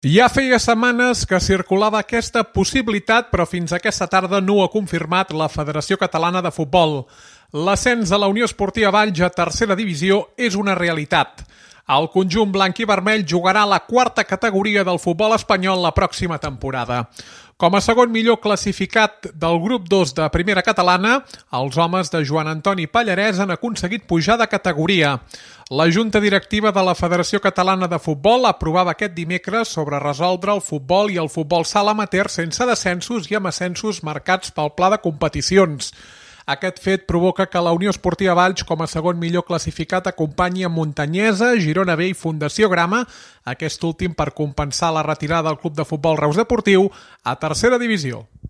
Ja feia setmanes que circulava aquesta possibilitat, però fins aquesta tarda no ho ha confirmat la Federació Catalana de Futbol. L'ascens de la Unió Esportiva Valls a tercera divisió és una realitat. El conjunt blanc i vermell jugarà a la quarta categoria del futbol espanyol la pròxima temporada. Com a segon millor classificat del grup 2 de primera catalana, els homes de Joan Antoni Pallarès han aconseguit pujar de categoria. La Junta Directiva de la Federació Catalana de Futbol aprovava aquest dimecres sobre resoldre el futbol i el futbol sala amateur sense descensos i amb ascensos marcats pel pla de competicions. Aquest fet provoca que la Unió Esportiva Valls, com a segon millor classificat, acompanyi a Montanyesa, Girona B i Fundació Grama, aquest últim per compensar la retirada del Club de Futbol Reus Deportiu a tercera divisió.